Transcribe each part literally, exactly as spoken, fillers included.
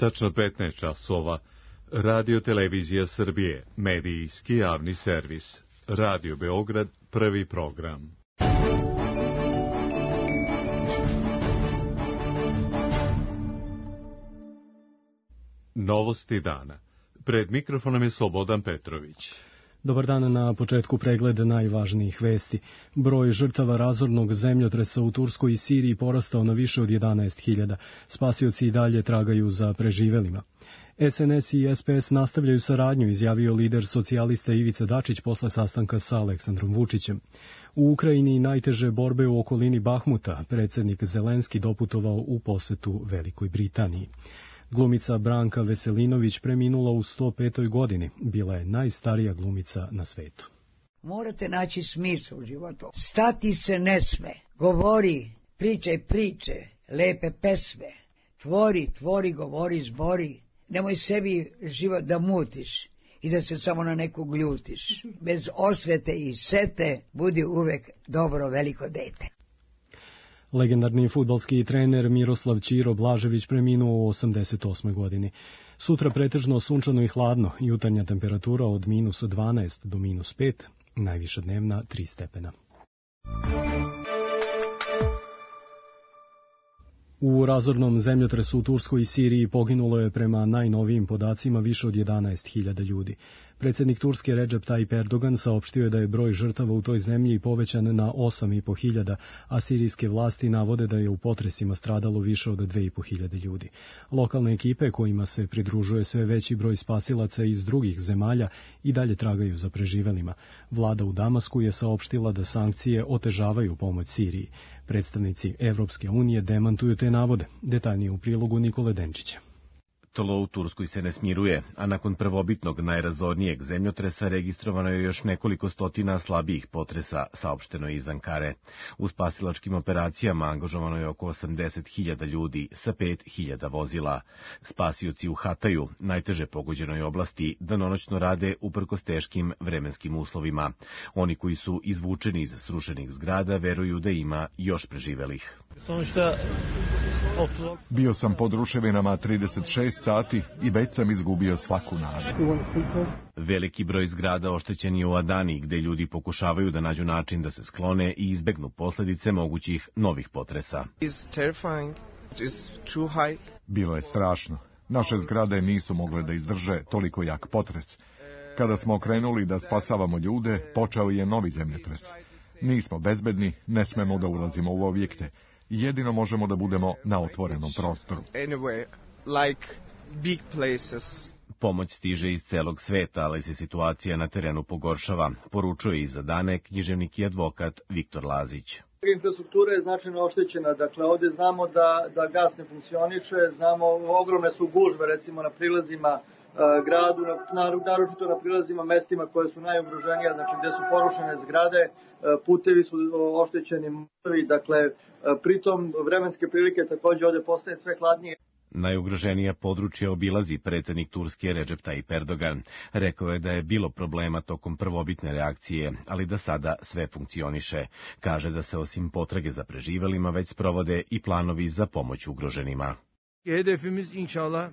Tačno petnaest časova. Radio Televizija Srbije, medijski javni servis. Radio Beograd, prvi program. Novosti dana. Pred mikrofonom je Slobodan Petrović. Dobar dan, na početku pregled najvažnijih vesti. Broj žrtava razornog zemljotresa u Turskoj i Siriji porastao na više od jedanaest hiljada. Spasioci i dalje tragaju za preživelima. S N S i S P S nastavljaju saradnju, izjavio lider socijalista Ivica Dačić posle sastanka sa Aleksandrom Vučićem. U Ukrajini najteže borbe u okolini Bahmuta, predsjednik Zelenski doputovao u posetu Velikoj Britaniji. Glumica Branka Veselinović preminula u sto petoj godini. Bila je najstarija glumica na svetu. Morate naći smisao u životu. Stati se ne sme. Govori, pričaj priče, lepe pesme. Tvori, tvori, govori, zbori. Nemoj sebi život da mutiš i da se samo na nekog ljutiš. Bez osvete i sete budi uvek dobro veliko dete. Legendarni fudbalski trener Miroslav Ćiro Blažević preminuo u osamdeset osmoj godini. Sutra pretežno sunčano i hladno, jutarnja temperatura od minus dvanaest do minus pet, najviša dnevna tri stepena. U razornom zemljotresu u Turskoj i Siriji poginulo je prema najnovijim podacima više od jedanaest hiljada ljudi. Predsjednik Turske Recep Tayyip Erdogan saopštio je da je broj žrtava u toj zemlji povećan na osam i po hiljada, a sirijske vlasti navode da je u potresima stradalo više od dve i po hiljade ljudi. Lokalne ekipe kojima se pridružuje sve veći broj spasilaca iz drugih zemalja i dalje tragaju za preživelima. Vlada u Damasku je saopštila da sankcije otežavaju pomoć Siriji. Predstavnici Evropske unije demantuju te navode. Detaljnije u prilogu Nikole Denčića. Tlo u Turskoj se ne smiruje, a nakon prvobitnog najrazornijeg zemljotresa registrovano je još nekoliko stotina slabijih potresa, saopšteno je iz Ankare. U spasilačkim operacijama angažovano je oko osamdeset hiljada ljudi sa pet hiljada vozila. Spasioci u Hataju, najteže pogođenoj oblasti, danonoćno rade uprkos teškim vremenskim uslovima. Oni koji su izvučeni iz srušenih zgrada veruju da ima još preživelih. Bio sam pod ruševinama trideset šest sati i već sam izgubio svaku nadu. Veliki broj zgrada oštećen je u Adani, gde ljudi pokušavaju da nađu način da se sklone i izbegnu posledice mogućih novih potresa. Bilo je strašno. Naše zgrade nisu mogle da izdrže toliko jak potres. Kada smo krenuli da spasavamo ljude, počeo je novi zemljotres. Nismo bezbedni, ne smemo da ulazimo u objekte. Jedino možemo da budemo na otvorenom prostoru. Pomoć stiže iz celog sveta, ali se situacija na terenu pogoršava, poručuje iza dane književnik i advokat Viktor Lazić. Infrastruktura je značajno oštećena, dakle ovdje znamo da, da gas ne funkcioniše, znamo ogromne su gužve recimo na prilazima gradu, naročito na prilazima mestima koje su najugroženija, znači gdje su porušene zgrade, putevi su oštećeni, dakle pritom vremenske prilike također ovdje postaje sve hladnije. Najugroženija područja obilazi predsjednik Turske Recep Tayyip Erdogan. Rekao je da je bilo problema tokom prvobitne reakcije, ali da sada sve funkcioniše. Kaže da se osim potrage za preživelima već sprovode i planovi za pomoć ugroženima. Hedefimiz inşallah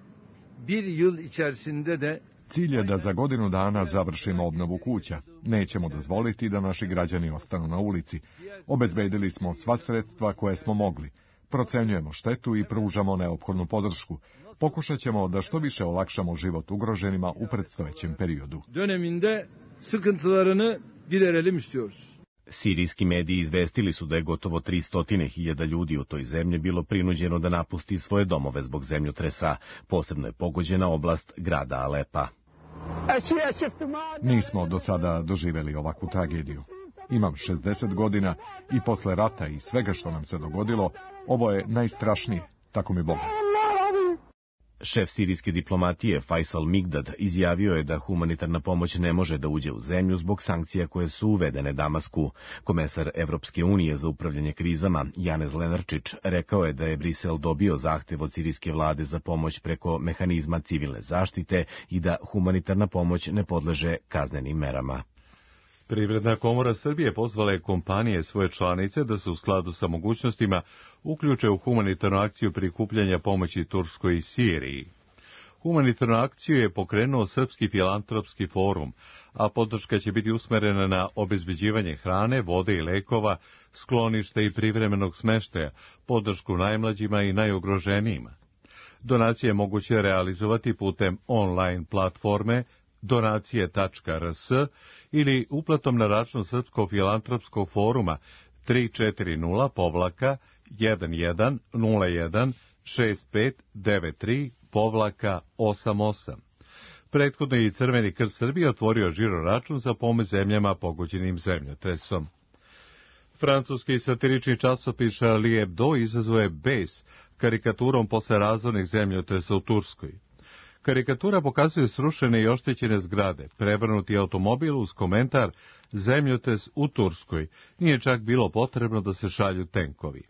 bir yıl içerisinde de Cilj je da za godinu dana završimo obnovu kuća. Nećemo dozvoliti da naši građani ostanu na ulici. Obezbedili smo sva sredstva koje smo mogli. Procenjujemo štetu i pružamo neophodnu podršku. Pokušat ćemo da što više olakšamo život ugroženima u predstojećem periodu. Döneminde sıkıntılarını giderelim istiyoruz. Sirijski mediji izvestili su da je gotovo tristo hiljada ljudi u toj zemlji bilo prinuđeno da napusti svoje domove zbog zemljotresa. Posebno je pogođena oblast grada Alepa. Nismo do sada doživjeli ovakvu tragediju. Imam šezdeset godina i posle rata i svega što nam se dogodilo, ovo je najstrašnije, tako mi Bog. Šef sirijske diplomatije Faisal Migdad izjavio je da humanitarna pomoć ne može da uđe u zemlju zbog sankcija koje su uvedene Damasku. Komesar Evropske unije za upravljanje krizama Janez Lenarčić rekao je da je Brisel dobio zahtev od sirijske vlade za pomoć preko mehanizma civilne zaštite i da humanitarna pomoć ne podleže kaznenim merama. Privredna komora Srbije pozvala je kompanije svoje članice da se u skladu sa mogućnostima uključe u humanitarnu akciju prikupljanja pomoći Turskoj i Siriji. Humanitarnu akciju je pokrenuo Srpski filantropski forum, a podrška će biti usmerena na obezbeđivanje hrane, vode i lekova, skloništa i privremenog smeštaja, podršku najmlađima i najugroženijima. Donacije je moguće realizovati putem online platforme donacije tačka r s ili uplatom na račun Srpskog filantropskog foruma tri četiri nula povlaka jedan jedan nula jedan šest pet devet tri povlaka osam osam. Prethodno je i Crveni krst Srbije otvorio žiro račun za pomoć zemljama pogođenim zemljotresom. Francuski satirični časopis Charlie Hebdo izazvao je bes karikaturom posle razornih zemljotresa u Turskoj. Karikatura pokazuje srušene i oštećene zgrade, prevrnuti automobil uz komentar zemljotres u Turskoj, nije čak bilo potrebno da se šalju tenkovi.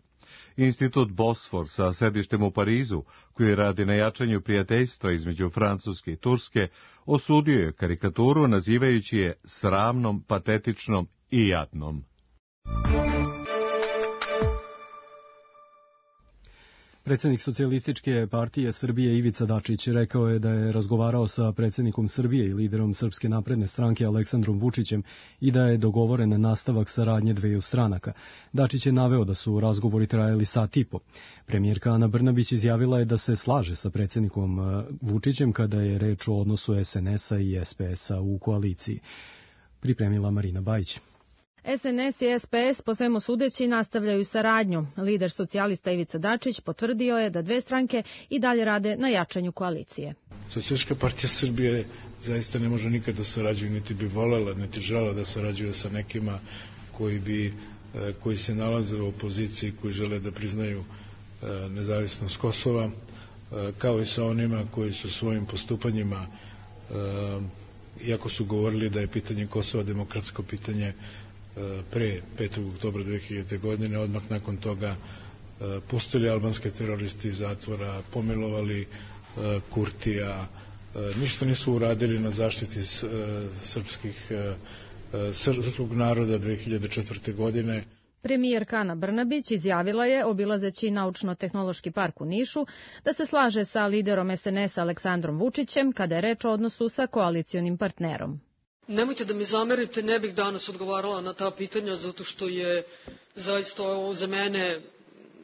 Institut Bosfor sa sedištem u Parizu, koji radi na jačanju prijateljstva između Francuske i Turske, osudio je karikaturu nazivajući je sramnom, patetičnom i jadnom. Predsjednik Socijalističke partije Srbije Ivica Dačić rekao je da je razgovarao sa predsjednikom Srbije i liderom Srpske napredne stranke Aleksandrom Vučićem i da je dogovoren nastavak saradnje dveju stranaka. Dačić je naveo da su razgovori trajali sat i po. Premijerka Ana Brnabić izjavila je da se slaže sa predsjednikom Vučićem kada je reč o odnosu es en es a i es pe es a u koaliciji. Pripremila Marina Bajić. es en es i es pe es po svemu sudeći nastavljaju saradnju. Lider socijalista Ivica Dačić potvrdio je da dve stranke i dalje rade na jačanju koalicije. Socijalistička partija Srbije zaista ne može nikad da sarađuje, niti bi volela, niti žela da sarađuje sa nekima koji, bi, koji se nalaze u opoziciji, koji žele da priznaju nezavisnost Kosova, kao i sa onima koji su svojim postupanjima, iako su govorili da je pitanje Kosova demokratsko pitanje, pre petog oktobra dve hiljadite. godine, odmah nakon toga pustili albanske teroristi iz zatvora, pomilovali Kurtija, ništa nisu uradili na zaštiti srpskih, srpskog naroda dve hiljade četvrte. godine. Premijerka Ana Brnabić izjavila je, obilazeći Naučno-tehnološki park u Nišu, da se slaže sa liderom es en es a Aleksandrom Vučićem kada je reč o odnosu sa koalicionim partnerom. Nemojte da mi zamerite, ne bih danas odgovarala na ta pitanja, zato što je zaista ovo za mene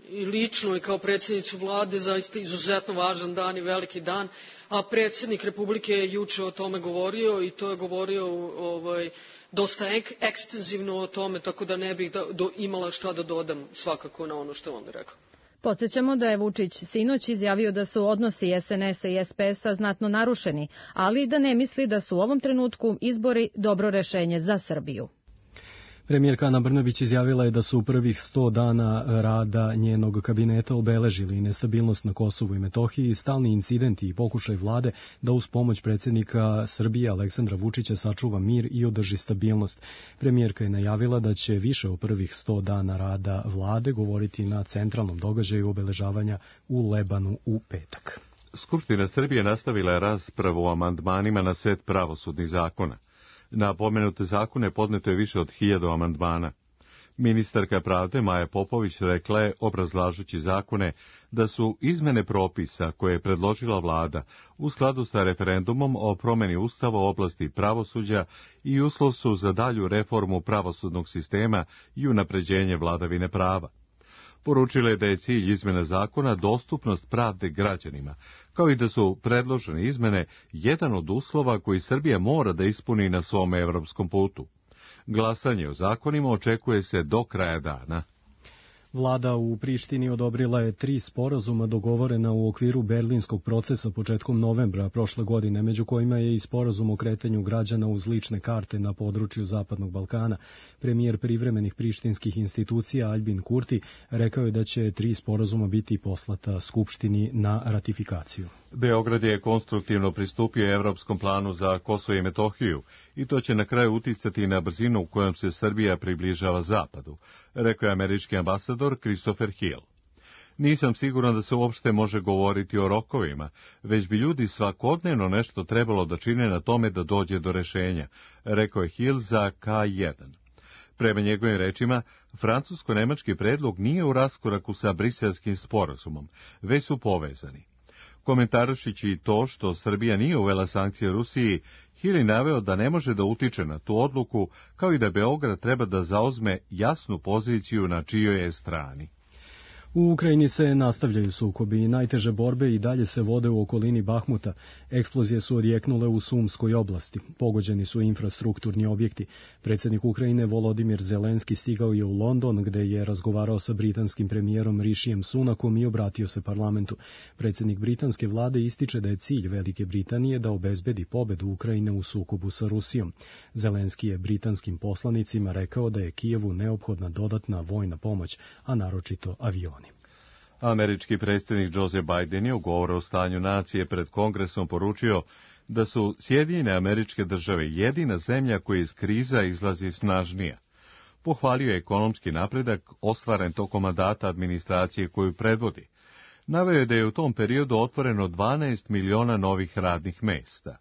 i lično i kao predsjednicu vlade zaista izuzetno važan dan i veliki dan, a predsjednik Republike je juče o tome govorio i to je govorio ovaj, dosta ek, ekstenzivno o tome, tako da ne bih da, do, imala šta da dodam svakako na ono što je on rekao. Podsjećamo da je Vučić sinoć izjavio da su odnosi es en es a i es pe es a znatno narušeni, ali da ne misli da su u ovom trenutku izbori dobro rešenje za Srbiju. Premijerka Ana Brnabić izjavila je da su u prvih sto dana rada njenog kabineta obeležili nestabilnost na Kosovu i Metohiji, stalni incidenti i pokušaj vlade da uz pomoć predsjednika Srbije Aleksandra Vučića sačuva mir i održi stabilnost. Premijerka je najavila da će više o prvih sto dana rada vlade govoriti na centralnom događaju obeležavanja u Lebanu u petak. Skupština Srbije nastavila je raspravu o amandmanima na set pravosudnih zakona. Na pomenute zakone podneto je više od hiljadu amandmana. Ministarka pravde Maja Popović rekla je, obrazlažući zakone, da su izmene propisa koje je predložila vlada u skladu sa referendumom o promeni ustava u oblasti pravosuđa i uslov su za dalju reformu pravosudnog sistema i unapređenje vladavine prava. Poručila je da je cilj izmjena zakona dostupnost pravde građanima, kao i da su predložene izmene jedan od uslova koji Srbija mora da ispuni na svom evropskom putu. Glasanje o zakonima očekuje se do kraja dana. Vlada u Prištini odobrila je tri sporazuma dogovorena u okviru berlinskog procesa početkom novembra prošle godine, među kojima je i sporazum o kretanju građana uz lične karte na području Zapadnog Balkana. Premijer privremenih prištinskih institucija Aljbin Kurti rekao je da će tri sporazuma biti poslata Skupštini na ratifikaciju. Beograd je konstruktivno pristupio Evropskom planu za Kosovo i Metohiju i to će na kraju uticati na brzinu u kojom se Srbija približava Zapadu, rekao je američki ambasador Christopher Hill. Nisam siguran da se uopšte može govoriti o rokovima, već bi ljudi svakodnevno nešto trebalo da čine na tome da dođe do rešenja, rekao je Hill za K jedan. Prema njegovim rečima, francusko-nemački predlog nije u raskoraku sa briselskim sporazumom, već su povezani. Komentarišići i to što Srbija nije uvela sankcije Rusiji, Hill je naveo da ne može da utiče na tu odluku, kao i da Beograd treba da zauzme jasnu poziciju na čijoj je strani. U Ukrajini se nastavljaju sukobi i najteže borbe i dalje se vode u okolini Bahmuta. Eksplozije su odjeknule u Sumskoj oblasti. Pogođeni su infrastrukturni objekti. Predsjednik Ukrajine Volodimir Zelenski stigao je u London, gde je razgovarao sa britanskim premijerom Rishijem Sunakom i obratio se parlamentu. Predsjednik britanske vlade ističe da je cilj Velike Britanije da obezbedi pobedu Ukrajine u sukobu sa Rusijom. Zelenski je britanskim poslanicima rekao da je Kijevu neophodna dodatna vojna pomoć, a naročito avioni. Američki predsjednik Joe Biden je u govoru o stanju nacije pred Kongresom poručio da su Sjedinjene Američke Države jedina zemlja koja iz kriza izlazi snažnija. Pohvalio je ekonomski napredak ostvaren tokom mandata administracije koju predvodi. Naveo je da je u tom periodu otvoreno dvanaest miliona novih radnih mesta.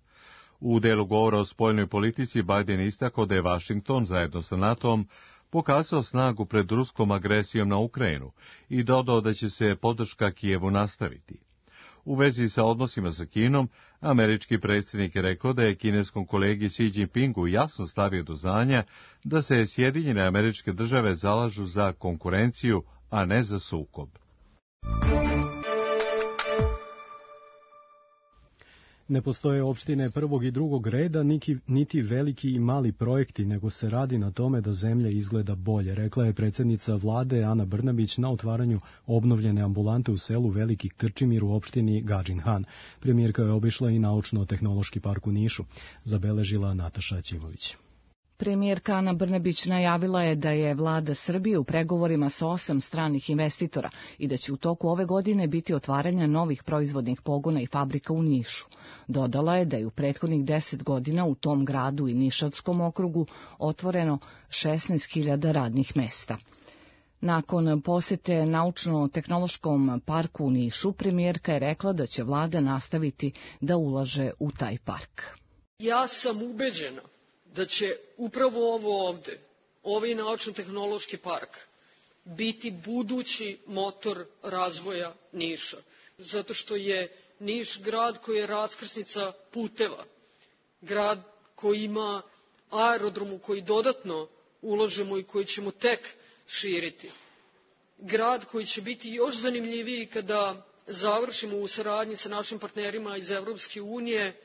U delu govora o spoljnoj politici Biden istakao da je Vašington zajedno sa NATO-om pokazao snagu pred ruskom agresijom na Ukrajinu i dodao da će se podrška Kijevu nastaviti. U vezi sa odnosima sa Kinom, američki predsjednik je rekao da je kineskom kolegi Xi Jinpingu jasno stavio do znanja da se Sjedinjene Američke Države zalažu za konkurenciju, a ne za sukob. Ne postoje opštine prvog i drugog reda, niti veliki i mali projekti, nego se radi na tome da zemlja izgleda bolje, rekla je predsjednica vlade Ana Brnabić na otvaranju obnovljene ambulante u selu Veliki Krčimir u opštini Gadžin Han. Premijerka je obišla i Naučno-tehnološki park u Nišu, zabeležila Nataša Ćimović. Premijerka Ana Brnabić najavila je da je vlada Srbije u pregovorima sa osam stranih investitora i da će u toku ove godine biti otvaranja novih proizvodnih pogona i fabrika u Nišu. Dodala je da je u prethodnih deset godina u tom gradu i Nišavskom okrugu otvoreno šesnaest hiljada radnih mesta. Nakon posete Naučno-tehnološkom parku u Nišu, premijerka je rekla da će vlada nastaviti da ulaže u taj park. Ja sam ubeđena da će upravo ovo ovde, ovaj naučno-tehnološki park, biti budući motor razvoja Niša. Zato što je Niš grad koji je raskrsnica puteva, grad koji ima aerodrom u koji dodatno ulažemo i koji ćemo tek širiti. Grad koji će biti još zanimljiviji kada završimo u saradnji sa našim partnerima iz Evropske unije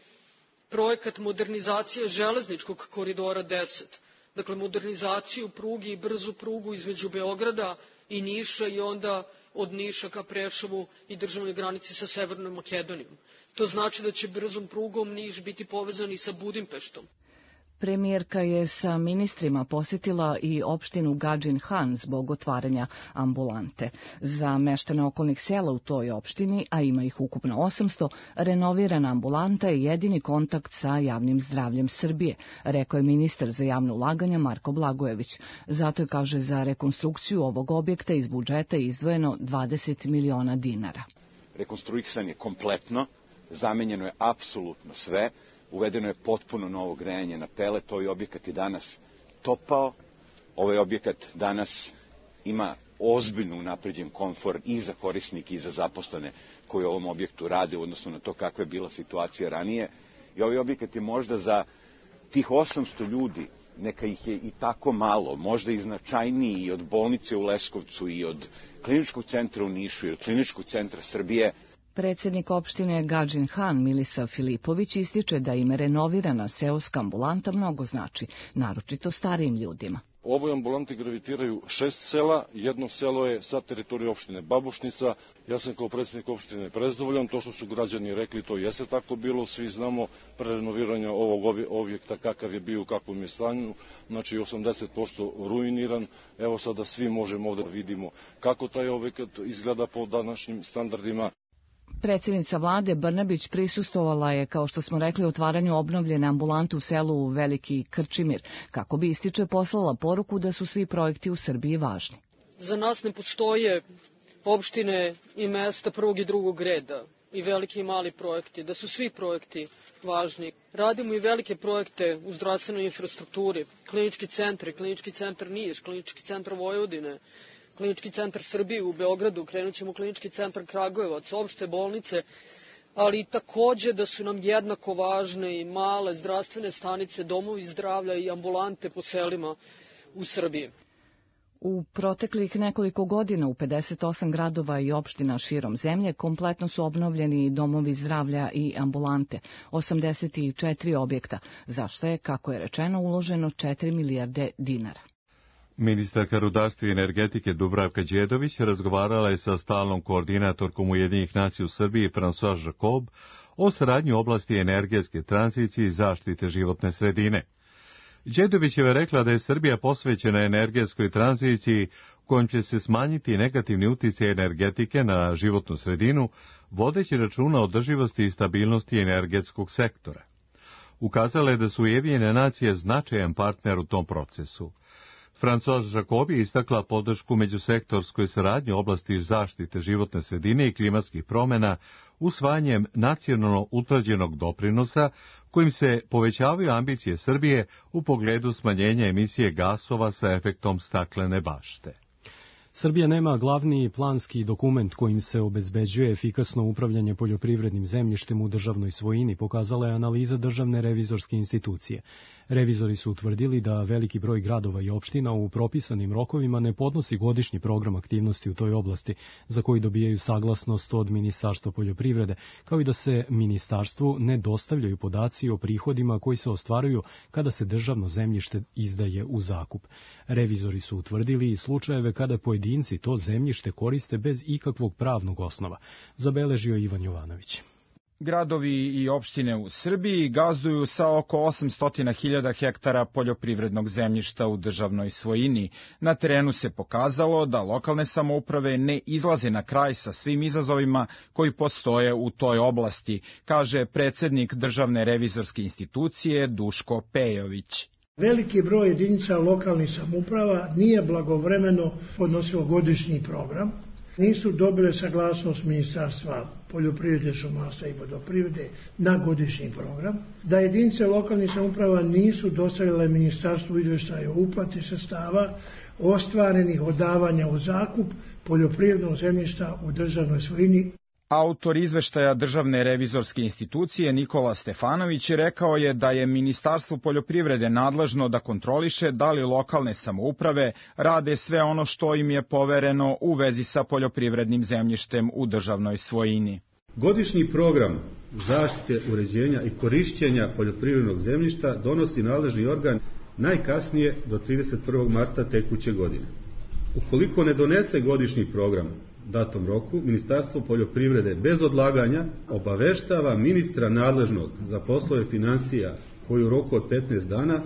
projekat modernizacije železničkog koridora deset, dakle modernizaciju pruge i brzu prugu između Beograda i Niša i onda od Niša ka Preševu i državnoj granici sa Severnom Makedonijom. To znači da će brzom prugom Niš biti povezan i sa Budimpeštom. Premijerka je sa ministrima posjetila i opštinu Gadžin Han zbog otvaranja ambulante. Za meštane okolnih sela u toj opštini, a ima ih ukupno osamsto, renovirana ambulanta je jedini kontakt sa javnim zdravljem Srbije, rekao je ministar za javno ulaganja Marko Blagojević. Zato je, kaže, za rekonstrukciju ovog objekta iz budžeta izdvojeno dvadeset miliona dinara. Rekonstruisan je kompletno, zamenjeno je apsolutno sve. Uvedeno je potpuno novo grejanje na pelet, ovaj objekat je danas topao, ovaj objekat danas ima ozbiljno unapređen komfor i za korisnike i za zaposlene koji u ovom objektu rade, odnosno na to kakva je bila situacija ranije. I ovaj objekat je možda za tih osamsto ljudi, neka ih je i tako malo, možda i značajniji i od bolnice u Leskovcu i od kliničkog centra u Nišu i od kliničkog centra Srbije. Predsjednik opštine Gadžin Han Milisav Filipović ističe da im renovirana seoska ambulanta mnogo znači, naročito starijim ljudima. U ovoj ambulanti gravitiraju šest sela, jedno selo je sa teritorije opštine Babušnica. Ja sam kao predsjednik opštine prezadovoljan, to što su građani rekli, to jeste tako bilo, svi znamo pre renoviranja ovog objekta kakav je bio, u kakvom je stanju, znači osamdeset posto ruiniran. Evo sada svi možemo ovdje da vidimo kako taj objekat izgleda po današnjim standardima. Predsjednica vlade Brnabić prisustovala je, kao što smo rekli, otvaranju obnovljene ambulante u selu Veliki Krčimir, kako bi, ističe, poslala poruku da su svi projekti u Srbiji važni. Za nas ne postoje opštine i mesta prvog i drugog reda, i veliki i mali projekti, da su svi projekti važni. Radimo i velike projekte u zdravstvenoj infrastrukturi, klinički centri, klinički centar Niš, klinički centar Vojvodine, klinički centar Srbije u Beogradu, krenut ćemo klinički centar Kragujevac, opšte bolnice ali takođe da su nam jednako važne i male zdravstvene stanice, domovi zdravlja i ambulante po selima u Srbiji. U proteklih nekoliko godina u pedeset osam gradova i opština širom zemlje kompletno su obnovljeni domovi zdravlja i ambulante, osamdeset četiri objekta, za što je, kako je rečeno, uloženo četiri milijarde dinara. Ministarka rudarstva i energetike Dubravka Đedović razgovarala je sa stalnom koordinatorkom Ujedinjenih nacija u Srbiji François Jacob o saradnji u oblasti energetske tranzicije i zaštite životne sredine. Đedovićeva je rekla da je Srbija posvećena energetskoj tranziciji kojom će se smanjiti negativni uticaj energetike na životnu sredinu, vodeći računa o održivosti i stabilnosti energetskog sektora. Ukazala je da su Ujedinjene nacije značajan partner u tom procesu. François Jacob je istakla podršku međusektorskoj saradnji u oblasti zaštite životne sredine i klimatskih promjena usvajanjem nacionalno utvrđenog doprinosa kojim se povećavaju ambicije Srbije u pogledu smanjenja emisije gasova sa efektom staklene bašte. Srbija nema glavni planski dokument kojim se obezbeđuje efikasno upravljanje poljoprivrednim zemljištem u državnoj svojini, pokazala je analiza Državne revizorske institucije. Revizori su utvrdili da veliki broj gradova i opština u propisanim rokovima ne podnosi godišnji program aktivnosti u toj oblasti, za koji dobijaju saglasnost od Ministarstva poljoprivrede, kao i da se ministarstvu ne dostavljaju podaci o prihodima koji se ostvaruju kada se državno zemljište izdaje u zakup. Revizori su utvrdili i slučajeve kada pojedinci to zemljište koriste bez ikakvog pravnog osnova, zabeležio Ivan Jovanović. Gradovi i opštine u Srbiji gazduju sa oko osamsto hiljada hektara poljoprivrednog zemljišta u državnoj svojini. Na terenu se pokazalo da lokalne samouprave ne izlaze na kraj sa svim izazovima koji postoje u toj oblasti, kaže predsednik Državne revizorske institucije Duško Pejović. Veliki broj jedinica lokalnih samouprava nije blagovremeno podnosilo godišnji program, nisu dobile saglasnost Ministarstva poljoprivrede, šumarstva i vodoprivrede na godišnji program, da jedinice lokalnih samouprava nisu dostavile Ministarstvu izveštaje o uplati sredstava ostvarenih od davanja u zakup poljoprivrednog zemljišta u državnoj svojini. Autor izveštaja Državne revizorske institucije Nikola Stefanović rekao je da je Ministarstvo poljoprivrede nadležno da kontroliše da li lokalne samouprave rade sve ono što im je povereno u vezi sa poljoprivrednim zemljištem u državnoj svojini. Godišnji program zaštite, uređenja i korišćenja poljoprivrednog zemljišta donosi nadležni organ najkasnije do trideset prvog marta tekuće godine. Ukoliko ne donese godišnji program datom roku, Ministarstvo poljoprivrede bez odlaganja obaveštava ministra nadležnog za poslove finansija koji u roku od petnaest dana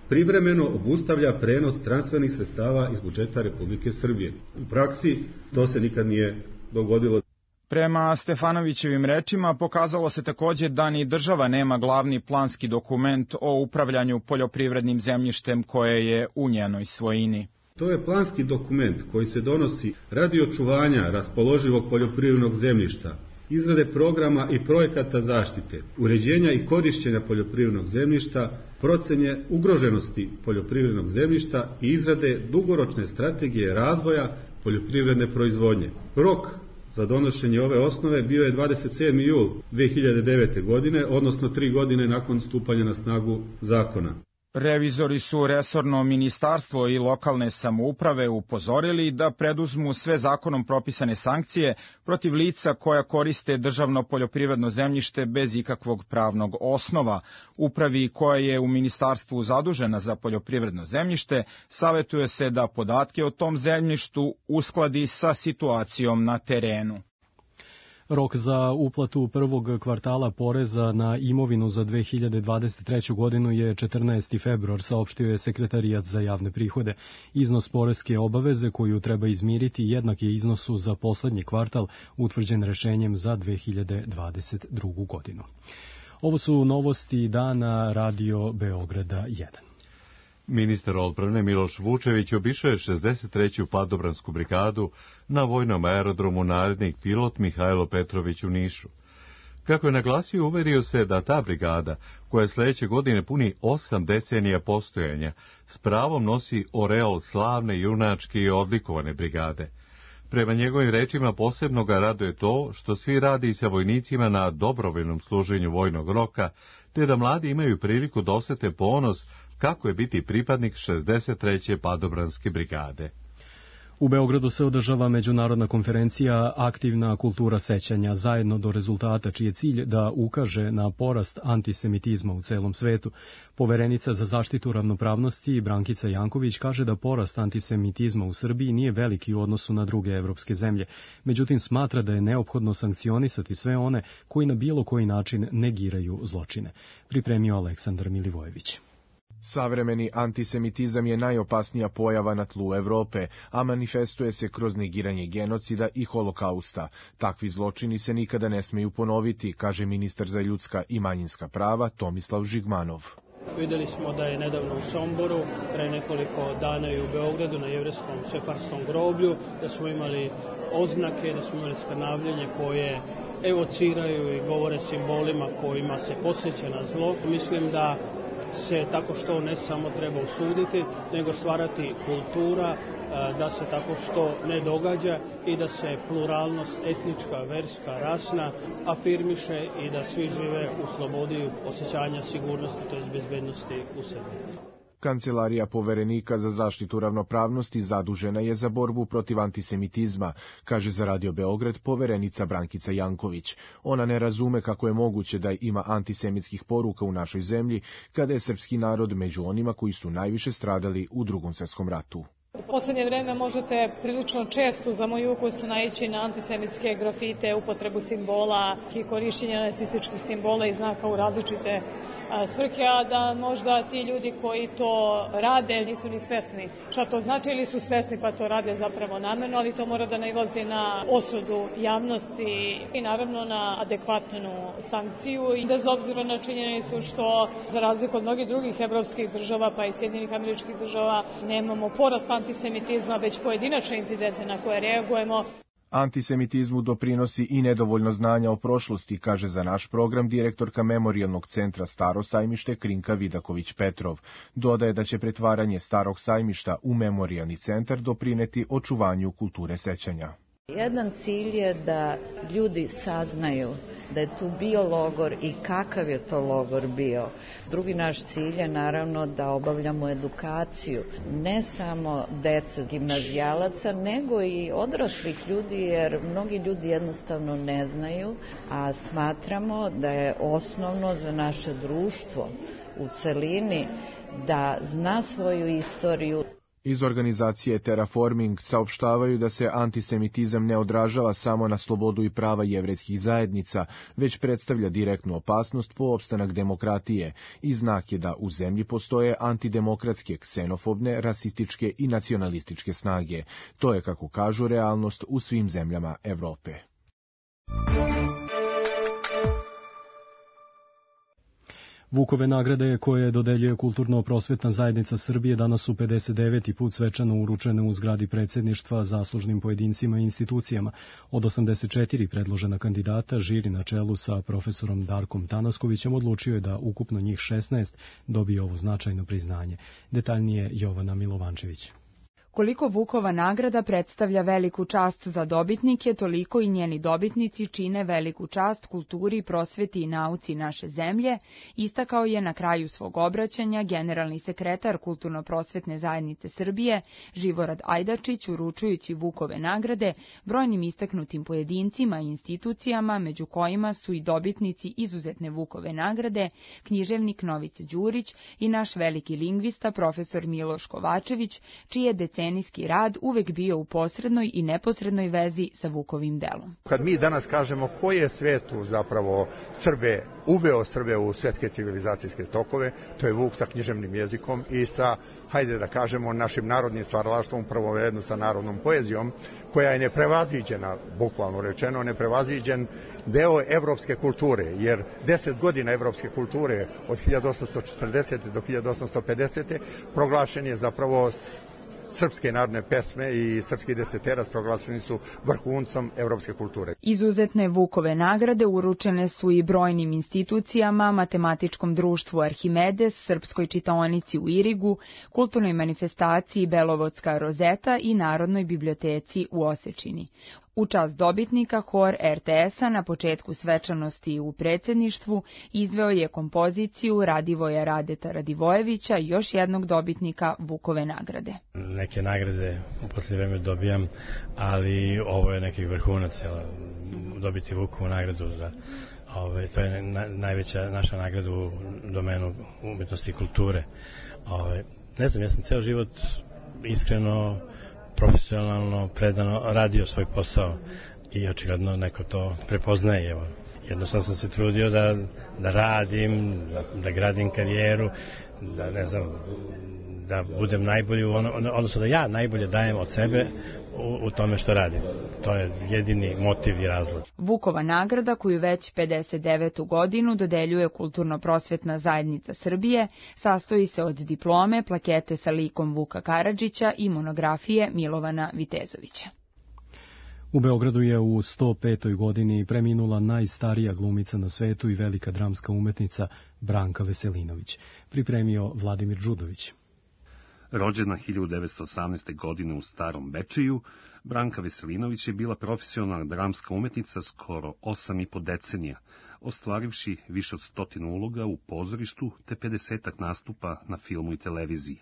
privremeno obustavlja prenos transfernih sredstava iz budžeta Republike Srbije. U praksi to se nikad nije dogodilo. Prema Stefanovićevim rečima pokazalo se takođe da ni država nema glavni planski dokument o upravljanju poljoprivrednim zemljištem koje je u njenoj svojini. To je planski dokument koji se donosi radi očuvanja raspoloživog poljoprivrednog zemljišta, izrade programa i projekata zaštite, uređenja i korišćenja poljoprivrednog zemljišta, procene ugroženosti poljoprivrednog zemljišta i izrade dugoročne strategije razvoja poljoprivredne proizvodnje. Rok za donošenje ove osnove bio je dvadeset sedmi jul dve hiljade devete. godine, odnosno tri godine nakon stupanja na snagu zakona. Revizori su resorno ministarstvo i lokalne samouprave upozorili da preduzmu sve zakonom propisane sankcije protiv lica koja koriste državno poljoprivredno zemljište bez ikakvog pravnog osnova. Upravi koja je u ministarstvu zadužena za poljoprivredno zemljište savetuje se da podatke o tom zemljištu uskladi sa situacijom na terenu. Rok za uplatu prvog kvartala poreza na imovinu za dve hiljade dvadeset treću. godinu je četrnaesti februar, saopštio je Sekretarijat za javne prihode. Iznos poreske obaveze koju treba izmiriti jednak je iznosu za poslednji kvartal utvrđen rešenjem za dve hiljade dvadeset drugu. godinu. Ovo su novosti dana Radio Beograda jedan. Ministar odbrane Miloš Vučević obišao je šezdeset treću padobransku brigadu na vojnom aerodromu Narednik pilot Mihajlo Petrović u Nišu. Kako je naglasio, uverio se da ta brigada, koja sledeće godine puni osam decenija postojanja, s pravom nosi oreol slavne, junačke i odlikovane brigade. Prema njegovim rečima posebno ga raduje to što svi radi sa vojnicima na dobrovoljnom služenju vojnog roka, te da mladi imaju priliku da osete ponos kako je biti pripadnik šezdeset treće padobranske brigade. U Beogradu se održava međunarodna konferencija Aktivna kultura sećanja, zajedno do rezultata, čiji je cilj da ukaže na porast antisemitizma u celom svetu. Poverenica za zaštitu ravnopravnosti Brankica Janković kaže da porast antisemitizma u Srbiji nije veliki u odnosu na druge evropske zemlje, međutim smatra da je neophodno sankcionisati sve one koji na bilo koji način negiraju zločine. Pripremio Aleksandar Milivojević. Savremeni antisemitizam je najopasnija pojava na tlu Evrope, a manifestuje se kroz negiranje genocida i holokausta. Takvi zločini se nikada ne smeju ponoviti, kaže ministar za ljudska i manjinska prava Tomislav Žigmanov. Videli smo da je nedavno u Somboru, pre nekoliko dana i u Beogradu na jevreskom sefarskom groblju, da smo imali oznake, da smo imali skrnavljenje koje evociraju i govore simbolima kojima se podsjeća na zlo. Mislim da se tako što ne samo treba osuditi, nego stvarati kultura da se tako što ne događa i da se pluralnost etnička, verska, rasna afirmiše i da svi žive u slobodi osjećanja sigurnosti, to je bezbednosti u sebi. Kancelarija poverenika za zaštitu ravnopravnosti zadužena je za borbu protiv antisemitizma, kaže za Radio Beograd poverenica Brankica Janković. Ona ne razume kako je moguće da ima antisemitskih poruka u našoj zemlji, kada je srpski narod među onima koji su najviše stradali u Drugom svjetskom ratu. U poslednje vreme možete prilično često za moj ukus naići na antisemitske grafite, upotrebu simbola i korišćenje nacističkih simbola i znaka u različite svrhe, a da možda ti ljudi koji to rade nisu ni svesni šta to znači ili su svesni pa to rade zapravo namerno, ali to mora da nailazi na osudu javnosti i naravno na adekvatnu sankciju i bez obzira na činjenicu što za razliku od mnogih drugih evropskih država pa i Sjedinjenih Američkih Država nemamo porast antisemitizma, već pojedinačne incidente na koje reagujemo. Antisemitizmu doprinosi i nedovoljno znanja o prošlosti, kaže za naš program direktorka Memorijalnog centra Staro sajmište Krinka Vidaković-Petrov. Dodaje da će pretvaranje Starog sajmišta u memorijalni centar doprineti očuvanju kulture sećanja. Jedan cilj je da ljudi saznaju da je tu bio logor i kakav je to logor bio. Drugi naš cilj je naravno da obavljamo edukaciju, ne samo dece gimnazijalaca, nego i odraslih ljudi, jer mnogi ljudi jednostavno ne znaju, a smatramo da je osnovno za naše društvo u celini da zna svoju istoriju. Iz organizacije Terraforming saopštavaju da se antisemitizam ne odražava samo na slobodu i prava jevrejskih zajednica, već predstavlja direktnu opasnost po opstanak demokratije i znak je da u zemlji postoje antidemokratske, ksenofobne, rasističke i nacionalističke snage. To je, kako kažu, realnost u svim zemljama Evrope. Vukove nagrade koje dodeljuje Kulturno-prosvetna zajednica Srbije danas su pedeset deveti put svečano uručene u zgradi predsjedništva zaslužnim pojedincima i institucijama. Od osamdeset četiri predložena kandidata, žiri na čelu sa profesorom Darkom Tanaskovićem odlučio je da ukupno njih šesnaest dobije ovo značajno priznanje. Detaljnije Jovana Milovančević. Koliko Vukova nagrada predstavlja veliku čast za dobitnike, toliko i njeni dobitnici čine veliku čast kulturi, prosveti i nauci naše zemlje, istakao je na kraju svog obraćanja generalni sekretar Kulturno-prosvetne zajednice Srbije, Živorad Ajdačić, uručujući Vukove nagrade brojnim istaknutim pojedincima i institucijama, među kojima su i dobitnici izuzetne Vukove nagrade, književnik Novice Đurić i naš veliki lingvista profesor Miloš Kovačević, čiji je decenijski rad uvek bio u posrednoj i neposrednoj vezi sa Vukovim delom. Kad mi danas kažemo ko je svetu zapravo Srbe, uveo Srbe u svetske civilizacijske tokove, to je Vuk sa književnim jezikom i sa, hajde da kažemo, našim narodnim stvaralaštvom, prvom redu sa narodnom poezijom, koja je neprevaziđena, bukvalno rečeno, neprevaziđen deo evropske kulture, jer deset godina evropske kulture od hiljadu osamsto četrdesete do hiljadu osamsto pedesete proglašen je zapravo srpske narodne pesme i srpski deseterac proglašeni su vrhuncom evropske kulture. Izuzetne Vukove nagrade uručene su i brojnim institucijama, Matematičkom društvu Arhimedes, Srpskoj čitaonici u Irigu, kulturnoj manifestaciji Belovodska rozeta i Narodnoj biblioteci u Osečini. U čast dobitnika hor er te es-a na početku svečanosti u predsjedništvu izveo je kompoziciju Radivoja Radeta Radivojevića, još jednog dobitnika Vukove nagrade. Neke nagrade u posljednje vreme dobijam, ali ovo je neki vrhunac, dobiti Vukovu nagradu za Ove, to je na, najveća naša nagrada u domenu umetnosti i kulture. Ove, ne znam, ja sam ceo život iskreno, profesionalno, predano radio svoj posao i očigledno neko to prepoznaje. Evo. Jednostavno sam se trudio da, da radim, da, da gradim karijeru, da ne znam, da budem najbolji, ono, odnosno da ja najbolje dajem od sebe u, u tome što radim. To je jedini motiv i razlog. Vukova nagrada, koju već pedeset devetu godinu dodeljuje Kulturno-prosvetna zajednica Srbije, sastoji se od diplome, plakete sa likom Vuka Karadžića i monografije Milovana Vitezovića. U Beogradu je u sto petoj godini preminula najstarija glumica na svetu i velika dramska umetnica Branka Veselinović. Pripremio Vladimir Đudović. Rođena hiljadu devetsto osamnaeste. godine u Starom Bečeju, Branka Veselinović je bila profesionalna dramska umetnica skoro osam i po decenija, ostvarivši više od stotinu uloga u pozorištu te pedesetak nastupa na filmu i televiziji.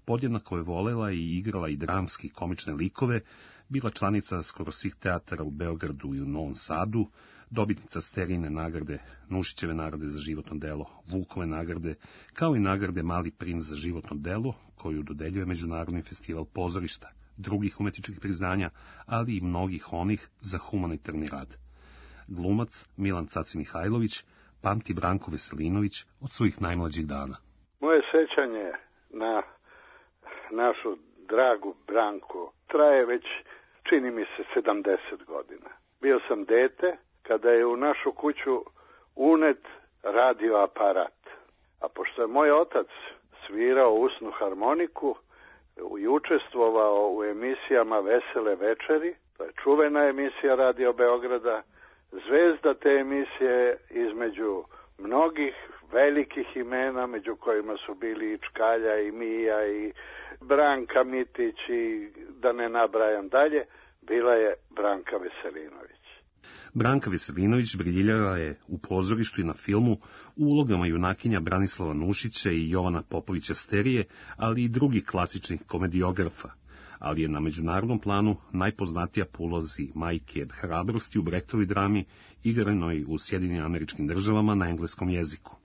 Podjednako je volela i igrala i dramski komične likove, bila članica skoro svih teatara u Beogradu i u Novom Sadu, dobitnica Sterijine nagrade, Nušićeve nagrade za životno delo, Vukove nagrade, kao i nagrade Mali princ za životno delo, koju dodeljuje Međunarodni festival pozorišta, drugih umetničkih priznanja, ali i mnogih onih za humanitarni rad. Glumac Milan Caci Mihajlović pamti Branku Veselinović od svojih najmlađih dana. Moje sećanje na našu dragu Branku traje već, čini mi se, sedamdeset godina. Bio sam dete kada je u našu kuću unet radio aparat. A pošto je moj otac svirao usnu harmoniku i učestvovao u emisijama Vesele večeri, to je čuvena emisija Radio Beograda, zvezda te emisije između mnogih velikih imena, među kojima su bili i Čkalja i Mija i Branka Mitić i da ne nabrajam dalje, bila je Branka Veselinović. Branka Veselinović briljirala je u pozorištu i na filmu u ulogama junakinja Branislava Nušića i Jovana Popovića Sterije, ali i drugih klasičnih komediografa, ali je na međunarodnom planu najpoznatija po ulozi majke hrabrosti u Brechtovoj drami, igranoj u Sjedinjenim Američkim Državama na engleskom jeziku.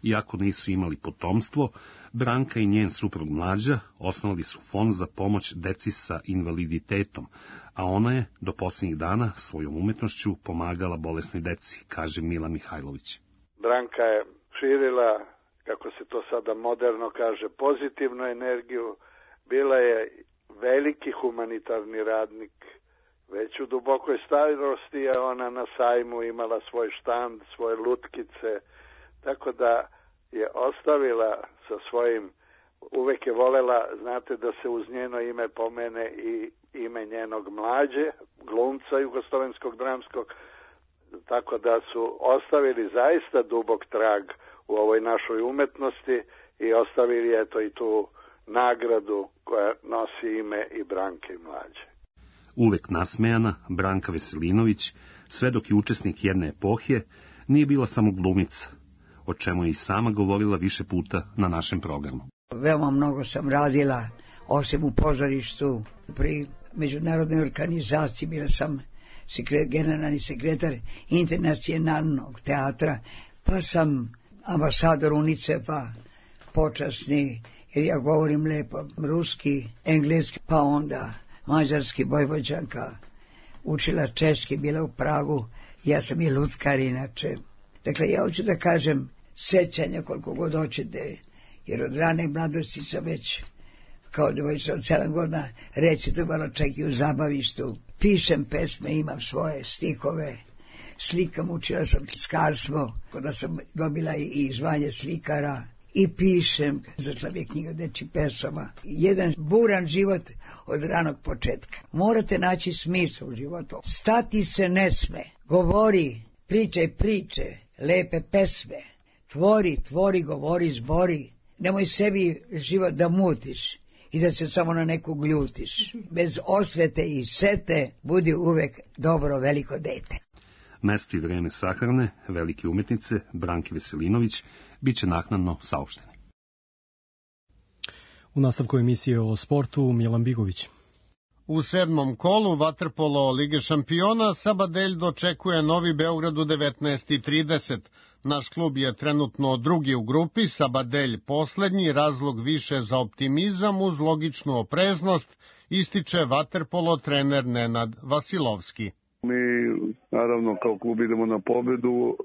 Iako nisu imali potomstvo, Branka i njen suprug Mlađa osnovali su fond za pomoć deci sa invaliditetom, a ona je do posljednjih dana svojom umetnošću pomagala bolesnoj deci, kaže Milan Mihajlović. Branka je širila, kako se to sada moderno kaže, pozitivnu energiju, bila je veliki humanitarni radnik. Već u dubokoj starosti je ona na sajmu imala svoj štand, svoje lutkice, tako da je ostavila sa svojim, uvek je volela, znate, da se uz njeno ime pomene i ime njenog Mlađe, glumca jugoslovenskog dramskog, tako da su ostavili zaista dubok trag u ovoj našoj umetnosti i ostavili eto i tu nagradu koja nosi ime i Branke i Mlađe. Uvek nasmejana, Branka Veselinović, sve dok je učesnik jedne epohe, nije bila samo glumica, o čemu je i sama govorila više puta na našem programu. Veoma mnogo sam radila, osim u pozorištu, pri međunarodnoj organizaciji, bila sam sekret, generalni sekretar Internacionalnog teatra, pa sam ambasador UNICEF-a, počasni, jer ja govorim lepo ruski, engleski, pa onda mađarski, Vojvođanka, učila češki, bila u Pragu, ja sam i luckar inače. Dakle, ja hoću da kažem sećanja koliko god hoćete, jer od rane mladosti sam već, kao devojčica od sedam godina, recitovala čak i u zabavištu. Pišem pesme, imam svoje stihove, slikam, učila sam slikarstvo, kada sam dobila i zvanje slikara i pišem. Zašla mi je knjiga dečjih pesama. Jedan buran život od ranog početka. Morate naći smisao u životu. Stati se ne sme. Govori, pričaj priče, lepe pesme. Tvori, tvori, govori, zbori. Nemoj sebi život da mutiš i da se samo na nekog ljutiš. Bez osvete i sete budi uvek dobro veliko dete. Mesto i vreme sahrane velike umetnice Branke Veselinović bit će naknadno saopšteni. U nastavku emisije o sportu Milan Bigović. U sedmom kolu vaterpolo Lige šampiona Sabadelj dočekuje Novi Beograd u devetnaest i trideset. Naš klub je trenutno drugi u grupi, Sabadelj poslednji, razlog više za optimizam uz logičnu opreznost, ističe vaterpolo trener Nenad Vasilovski. Mi naravno kao klub idemo na pobedu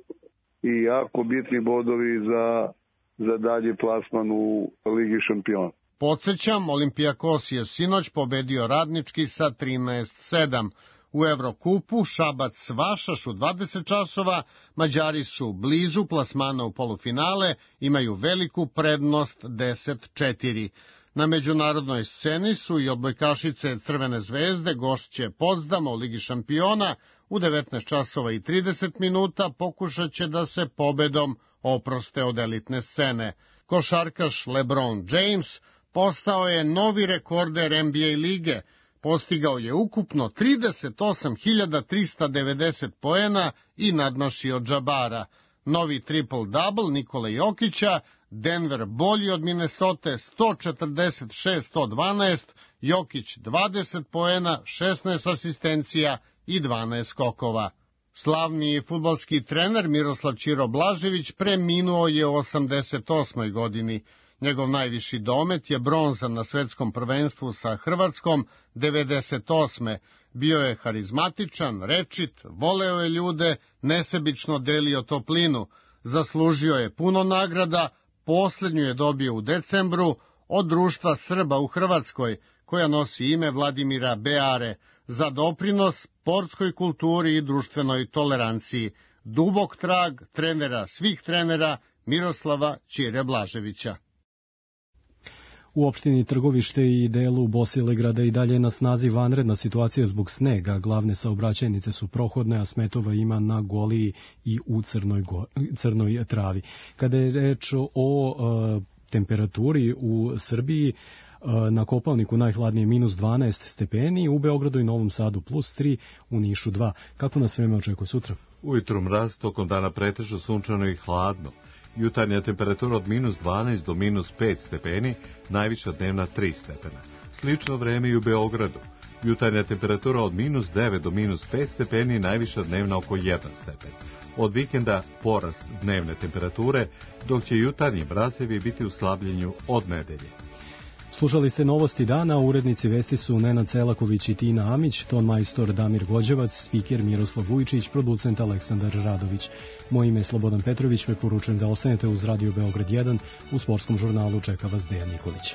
i jako bitni bodovi za, za dalji plasman u Ligi šampiona. Podsećam, Olimpijakos je sinoć pobedio Radnički sa trinaest sedam. U Evrokupu Šabac Vašaš u dvadeset časova, Mađari su blizu plasmana u polufinale, imaju veliku prednost deset četiri. Na međunarodnoj sceni su i odbojkašice Crvene zvezde, gošće Potsdama u Ligi šampiona, u devetnaest časova i trideset minuta pokušat će da se pobedom oproste od elitne scene. Košarkaš LeBron James postao je novi rekorder N B A lige, postigao je ukupno trideset osam hiljada trista devedeset poena i nadmašio Džabara. Novi triple-double Nikole Jokića, Denver bolji od Minnesote sto četrdeset šest sto dvanaest, Jokić dvadeset poena, šesnaest asistencija i dvanaest skokova. Slavni fudbalski trener Miroslav Ćiro Blažević preminuo je u osamdeset osmoj godini. Njegov najviši domet je bronza na svetskom prvenstvu sa Hrvatskom devedeset osme. Bio je harizmatičan, rečit, voleo je ljude, nesebično delio toplinu. Zaslužio je puno nagrada, posljednju je dobio u decembru od Društva Srba u Hrvatskoj, koja nosi ime Vladimira Beare, za doprinos sportskoj kulturi i društvenoj toleranciji. Dubok trag trenera svih trenera Miroslava Ćire Blaževića. U opštini Trgovište i delu Bosilegrada i dalje na snazi vanredna situacija zbog snega. Glavne saobraćajnice su prohodne, a smetova ima na Goliji i u Crnoj, go, crnoj travi. Kada je reč o e, temperaturi u Srbiji, e, na Kopaoniku najhladnije minus dvanaest stepeni, u Beogradu i Novom Sadu plus tri, u Nišu dva. Kako nas vreme očekuje sutra? Ujutru mraz, tokom dana pretežno sunčano i hladno. Jutarnja temperatura od minus dvanaest do minus pet stepeni, najviša dnevna tri stepena. Slično vreme i u Beogradu. Jutarnja temperatura od minus devet do minus pet stepeni, najviša dnevna oko jedan stepen. Od vikenda porast dnevne temperature, dok će jutarnji mrazevi biti u slabljenju od nedelje. Slušali ste novosti dana, urednici vesti su Nenad Celaković i Tina Amić, ton majstor Damir Gođevac, spiker Miroslav Vujčić, producent Aleksandar Radović. Moje ime je Slobodan Petrović, preporučujem da ostanete uz Radio Beograd jedan, u sportskom žurnalu čeka vas Dejan Nikolić.